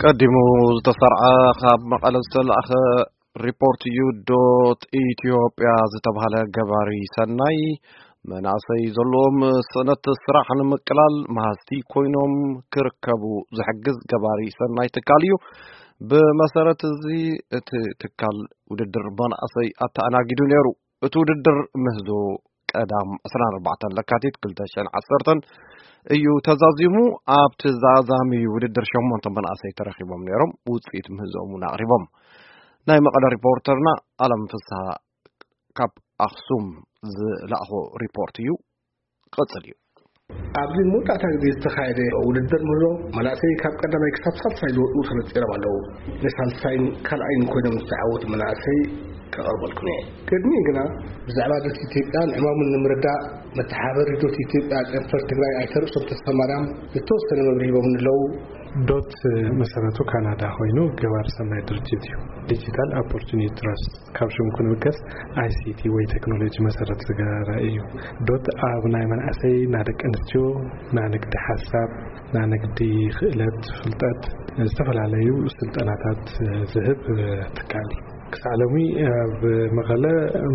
ቀዲሙ ዝተሰርዐ ካብ መቐለ ዝተላእኸ ሪፖርት እዩ። ዶት ኢትዮጵያ ዝተባህለ ገባሪ ሰናይ መናእሰይ ዘለዎም ስእነት ስራሕ ንምቅላል መሃዝቲ ኮይኖም ክርከቡ ዝሕግዝ ገባሪ ሰናይ ትካል እዩ። ብመሰረት እዚ እቲ ትካል ውድድር መናእሰይ ኣተኣናጊዱ ነይሩ። እቲ ውድድር ምህዞ ቀዳም ዕስራን ኣርባዕተን ለካቲት ክልተ ሽሕን ዓሰርተን እዩ ተዛዚሙ። ኣብቲ ዛዛሚ ውድድር ሸሞንተ መናእሰይ ተረኺቦም ነይሮም፣ ውፅኢት ምህዞኦም እውን ኣቕሪቦም። ናይ መቐለ ሪፖርተርና ኣለም ፍስሃ ካብ ኣኽሱም ዝለኣኾ ሪፖርት እዩ። ቀጽል እዩ። ኣብዚ መወዳእታ ግዜ ዝተኻየደ ውድድር ምህዞ መናእሰይ ካብ ቀዳማይ ክሳብ ሳልሳይ ዝወጡ ተነጺሮም ኣለዉ። ንሳልሳይን ካልኣይን ኮይኖም ዝተዓወቱ መናእሰይ ከቐርበልኩም እየ። ቅድሚኡ ግና ብዛዕባ ዶት ኢትዮጵያን ዕማሙን ንምርዳእ መተሓባበሪ ዶት ኢትዮጵያ ጨንፈር ትግራይ ኣይተ ርእሶም ተስፋማርያም ዝተወሰነ መብርሂ ሂቦምኒ ኣለዉ። ዶት መሰረቱ ካናዳ ኮይኑ ገባሪ ሰናይ ድርጅት እዩ። ዲጂታል ኦፖርቹኒቲ ትራስት ካብ ሽሙ ክንብገስ ኣይሲቲ ወይ ቴክኖሎጂ መሰረት ዝገበረ እዩ። ዶት ኣብ ናይ መናእሰይ፣ ናይ ደቂ ኣንስትዮ፣ ናይ ንግዲ ሓሳብ፣ ናይ ንግዲ ክእለት፣ ፍልጠት፣ ዝተፈላለዩ ስልጠናታት ዝህብ ትካል እዩ። ክሳዕ ሎሚ ኣብ መቐለ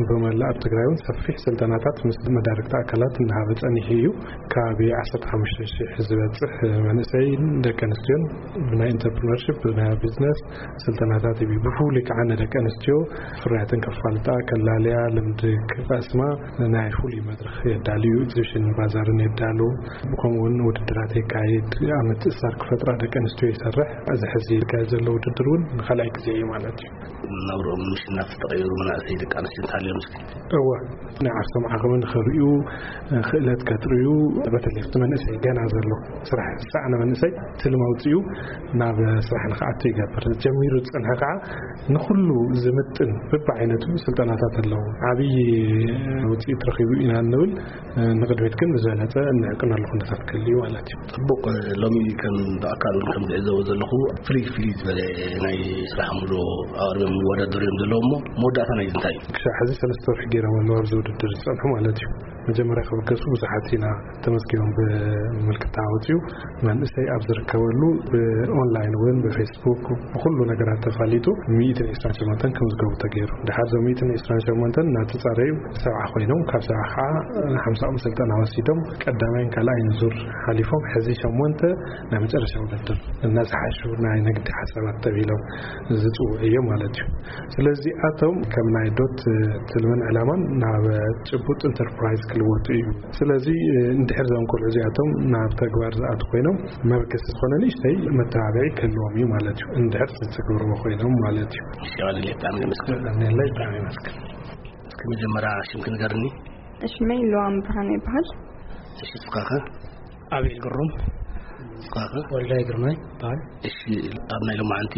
ብመላእ ኣብ ትግራይ እውን ሰፊሕ ስልጠናታት ምስ መዳርግቲ ኣካላት እናሃበ ጸኒሑ እዩ። ከባቢ ዓሰርተ ሓሙሽተ ሽሕ ዝበጽሕ መንእሰይን ደቂ ኣንስትዮን ብናይ ኢንተርፕረነርሺፕ፣ ብናይ ቢዝነስ ስልጠናታት ይህብ። ብፍሉይ ከዓ ንደቂ ኣንስትዮ ፍርያተን ከፋልጣ፣ ከላልያ፣ ልምዲ ክቐስማ ናይ ፍሉይ መድረኽ የዳልዩ። ኤግዚቢሽን ባዛርን የዳሉ። ከምኡ እውን ውድድራት የካይድ። ኣብ ምትእስሳር ክፈጥራ ደቂ ኣንስትዮ ይሰርሕ። እዚ ሕዚ ዝካየድ ዘሎ ውድድር እውን ንኻልኣይ ግዜ እዩ ማለት እዩ። ናብርኦም ምሽናፍ ዝተቐየሩ መናእሰይ ደቂ ኣንስትዮ እንተሃልዮም እስኪ? እወ፣ ናይ ዓርሶም ዓቕሚ ንኽርእዩ፣ ክእለት ከጥርዩ፣ በተለይ እቲ መንእሰይ ገና ዘሎ ስራሕ ዝሰኣነ መንእሰይ ትልሚ ኣውፂኡ ናብ ስራሕ ንኽኣቱ ይገብር። ጀሚሩ ዝፀንሐ ከዓ ንኹሉ ዝምጥን በብዓይነቱ ስልጠናታት ኣለዉ። ዓብዪ ውፅኢት ረኺቡ ኢና እንብል። ንቕድሚት ግን ብዝበለፀ እንዕቅነሉ ኩነታት ክህሉ እዩ ማለት እዩ። ጽቡቕ፣ ሎሚ ከም ብኣካል እውን ከም ዝዕዘቦ ዘለኹ ፍልይ ፍልይ ዝበለ ናይ ስራሕ ሙሉ ኣቕሪቦም ይወዳደሩ እዮም ዘለዉ እሞ መወዳእታ ናይዚ እንታይ እዩ? ክሳዕ ሕዚ ሰለስተ ወርሒ ገይሮም ኣለዉ ኣብዚ ውድድር ዝጸንሑ ማለት እዩ። መጀመርያ ክብገሱ ብዙሓት ኢና ተመዝጊቦም ብምልክታ ኣውፅዩ መንእሰይ ኣብ ዝርከበሉ ብኦንላይን እውን ብፌስቡክ ብኩሉ ነገራት ተፋሊጡ ሚእትን ዕስራን ሸሞንተን ክምዝገቡ ተገይሩ። ድሓር እዞም ሚእትን ዕስራን ሸሞንተን እናተፃረዩ ሰብዓ ኮይኖም ካብ ሰብዓ ከዓ ሓምሳኦም ስልጠና ወሲዶም ቀዳማይን ካልኣይን ዙር ሓሊፎም ሕዚ ሸሞንተ ናይ መጨረሻ ውድድር እናዝሓሹ ናይ ንግዲ ሓሳባት ተቢሎም ዝፅውዑ እዮም ማለት እዩ። ስለዚኣቶም ከም ናይ ዶት ትልምን ዕላማን ናብ ጭቡጥ ኢንተርፕራይዝ ክልወጡ እዩ። ስለዚ እንድሕር እዞም ቆልዑ እዚኣቶም ናብ ተግባር ዝኣቱ ኮይኖም መበገሲ ዝኾነ ንእሽተይ መተባብዒ ክህልዎም እዩ ማለት እዩ። እንድሕር ዝተግብርዎ ኮይኖም ማለት እዩ። እሺ፣ ኣነ ብጣዕሚ የመስግን። ኣሜንላይ ብጣዕሚ የመስግን። እስኪ መጀመርያ ሽምኪ ንገርኒ። ሽመይ ሉዋም ብርሃን ይበሃል። እሺ፣ እስኻኸ? ኣቤል ግሩም። እስኻኸ? ወልዳይ ግርማይ ይበሃል። እሺ፣ ኣብ ናይ ሎማዓንቲ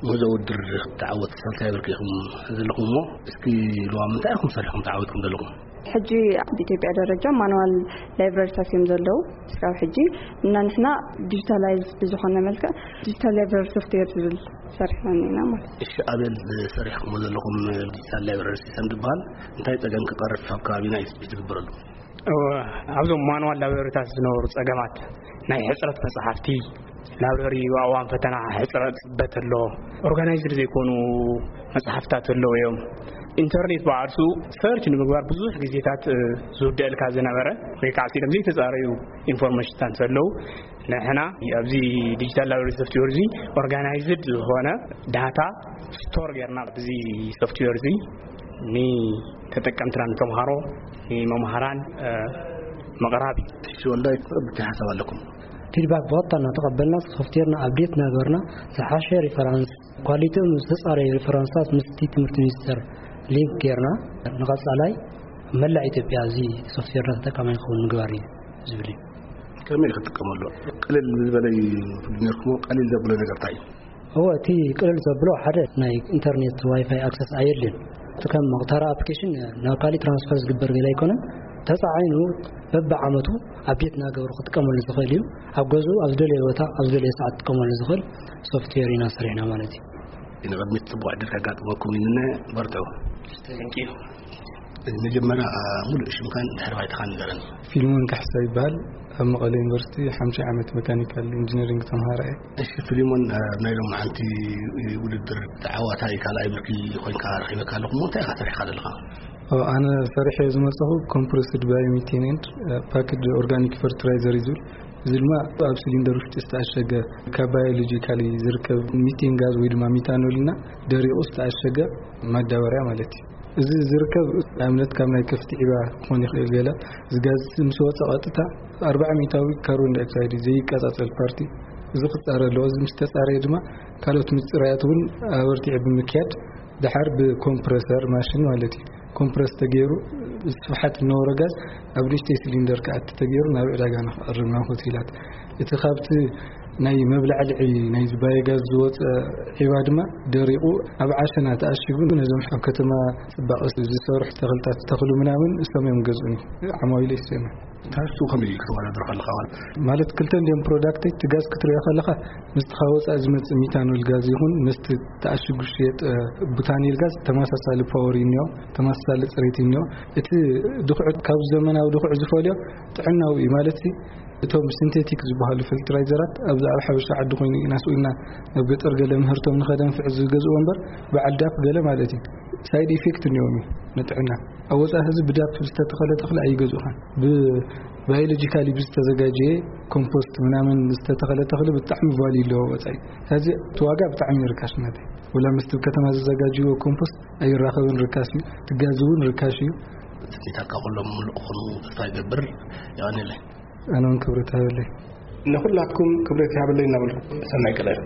ምህዞ ውድድር ተዓወት ሳልሳይ ብርኪ ኢኹም ዘለኹም እሞ፣ እስኪ ሉዋም እንታይ ኢኹም ሰሪሕኩም ተዓዊትኩም ዘለኹም? ሕጂ ኣብ ኢትዮጵያ ደረጃ ማኑዋል ላይብረሪታት እዮም ዘለዉ። እስካብ ሕጂ እና ንሕና ዲጂታላይዝ ብዝኾነ መልክዕ ዲጂታል ላይብረሪ ሶፍትዌር ዝብል ሰሪሕና ኢና ማለት እዩ። እሺ፣ ኣቤል፣ ሰሪሕኩሞ ዘለኹም ዲጂታል ላይብረሪ ሲስተም ዝበሃል እንታይ ጸገም ክቐርፍ ኣብ ከባቢና እዩ ዝግበረሉ? እወ፣ ኣብዞም ማኑዋል ላይብረሪታት ዝነበሩ ጸገማት ናይ ሕጽረት መጽሓፍቲ፣ ላይብረሪ ኣብ እዋን ፈተና ሕጽረት ጽበት ኣሎ፣ ኦርጋናይዝድ ዘይኮኑ መጽሓፍታት ኣለዉ እዮም። ኢንተርኔት ብዓርሱ ሰርች ንምግባር ብዙሕ ግዜታት፣ እ፣ ዝውደአልካ ዝነበረ ወይ ከዓ ሲሎም ዘይተጻረዩ ኢንፎርሜሽንታት ዘለዉ ንሕና ኣብዚ ዲጂታል ላይብረሪ ሶፍትዌር እዚ ኦርጋናይዝድ ዝኾነ ዳታ ስቶር ጌርና ኣብዚ ሶፍትዌር እዚ ንተጠቀምትና ንተምሃሮ ንመምሃራን፣ እ፣ ምቕራብ እዩ። እሺ ወልዳይ፣ ብታይ ሓሳብ ኣለኩም? ፊድባክ ብቐጥታ እናተቐበልና ሶፍትዌርና ኣፕዴት እናገበርና ዝሓሸ ሪፈራንስ ኳሊቲኦም ዝተጻረዩ ሪፈራንስታት ምስቲ ትምህርቲ ሚኒስቴር ሊንክ ጌርና ንቐጻላይ መላእ ኢትዮጵያ እዚ ሶፍትዌርና ተጠቃማይ ክኸውን ምግባር እዩ ዝብል እዩ። ከመይ ክትጥቀመሉ ቅልል ዝበለ እዩ ትብሉ ነርኩሞ? ቀሊል ዘብሎ ነገር እንታይ እዩ? እወ፣ እቲ ቅልል ዘብሎ ሓደ ናይ ኢንተርኔት ዋይፋይ ኣክሰስ ኣየድልን። እቲ ከም መቕተራ ኣፕሊኬሽን ናብ ካሊእ ትራንስፈር ዝግበር ገለ ኣይኮነን። ተጻዒኑ በብዓመቱ ኣፕዴት እናገበሩ ክጥቀመሉ ዝኽእል እዩ። ኣብ ገዝኡ ኣብ ዝደለየ ቦታ ኣብ ዝደለየ ሰዓት ክጥቀመሉ ዝኽእል ሶፍትዌር ኢና ሰሪሕና ማለት እዩ። ንቕድሚት ጽቡቕ ዕድል ከጋጥመኩም ይምነ። በርትዑ። Thank you። መጀመርያ ሙሉእ ሽምካን ድሕሪ ባይታኻን ንገረን። ፊልሞን ካሕሳ ይበሃል። ኣብ መቐለ ዩኒቨርሲቲ ሓምሻይ ዓመት መካኒካል ኢንጂነሪንግ ተምሃራይ። እሺ ፊልሞን፣ ኣብ ናይ ሎማዓንቲ ውድድር ተዓዋታይ ካልኣይ ብርኪ ኮይንካ ረኺበካ ኣለኹ። እንታይ ኢኻ ሰሪሕካ ዘለኻ? ኣነ ሰሪሐ ዝመፀኹ ኮምፕረስድ ባዮሚቴን ኤንድ ፓክድ ኦርጋኒክ ፈርትላይዘር እዩ ዝብል። እዚ ድማ ኣብ ሲሊንደር ውሽጢ ዝተኣሸገ ካብ ባዮሎጂካሊ ዝርከብ ሚቴን ጋዝ ወይ ድማ ሚታኖል እና ደሪቑ ዝተኣሸገ ማዳበርያ ማለት እዩ። እዚ ዝርከብ ኣብነት ካብ ናይ ከፍቲ ዒባ ክኾን ይኽእል። ገለ እዚ ጋዝ ምስ ወፀ ቀጥታ ኣርባዓ ሚእታዊ ካርቦን ዳይኦክሳይድ ዘይቀፃፀል ፓርቲ እዚ ክፃረ ኣለዎ። እዚ ምስ ተፃረየ ድማ ካልኦት ምፅራያት እውን ኣበርቲዑ ብምክያድ ደሓር ብኮምፕረሰር ማሽን ማለት እዩ ኮምፕረስ ተገይሩ ስፍሓት እነበሮ ጋዝ ኣብ ንእሽተይ ሲሊንደር ክኣቲ ተገይሩ ናብ ዕዳጋ ንክቐርብ ናብ ሆቴላት። እቲ ካብቲ ናይ መብላዕልዒ ናይ ባዮጋዝ ዝወፀ ዒባ ድማ ደሪቑ ኣብ ዓሸና ተኣሽጉ ነዞም ኣብ ከተማ ፅባቐ ዝሰርሑ ተኽልታት ተኽሉ ምናምን እሶም እዮም ገዝኡኒ። ዓማዊለ ይሰም ታሱ ከመይ እዩ ክትወዳደር ከለኻ? ማለት ክልተ እንዲም ፕሮዳክት እቲ ጋዝ ክትሪኦ ከለኻ ምስቲ ካብ ወፃኢ ዝመፅእ ሚታኖል ጋዝ ይኹን ምስቲ ተኣሽጉ ሽየጥ ቡታኒል ጋዝ ተመሳሳሊ ፓወር እዩ እኒኦ፣ ተመሳሳሊ ፅሬት እዩ እኒኦ። እቲ ድኩዕ ካብ ዘመናዊ ድኩዕ ዝፈልዮ ጥዕናዊ እዩ ማለት እቶም ሲንቴቲክ ዝበሃሉ ፈርትላይዘራት ኣብዚ ኣብ ሓበሻ ዓዲ ኮይኑ ኢና ስኢልና ናብ ገጠር ገለ ምህርቶም ንኸደንፍዕ ዝገዝእዎ እምበር በዓል ዳፕ ገለ ማለት እዩ ሳይድ ኢፌክት እኒኦም እዩ ንጥዕና። ኣብ ወፃኢ ህዝቢ ብዳፕ ዝተተኸለ ተኽሊ ኣይገዝኡኻን። ብባዮሎጂካሊ ብዝተዘጋጀየ ኮምፖስት ምናምን ዝተተኸለ ተኽሊ ብጣዕሚ ቫልዩ ኣለዎ ወፃኢ። ሕዚ እቲ ዋጋ ብጣዕሚ ርካሽ ናተይ። ወላ ምስቲ ከተማ ዝዘጋጅዎ ኮምፖስት ኣይራኸብን፣ ርካሽ እዩ። ትጋዝ እውን ርካሽ እዩ። ትኒታካ ኩሎም ምሉእ ክኾኑ ተስፋ ይገብር። የቐንየለይ። ኣነ እውን ክብረት ሃበለይ። ንኹላትኩም ክብረት ይሃበለይ እናበልኩ ሰናይ ቀዳይ።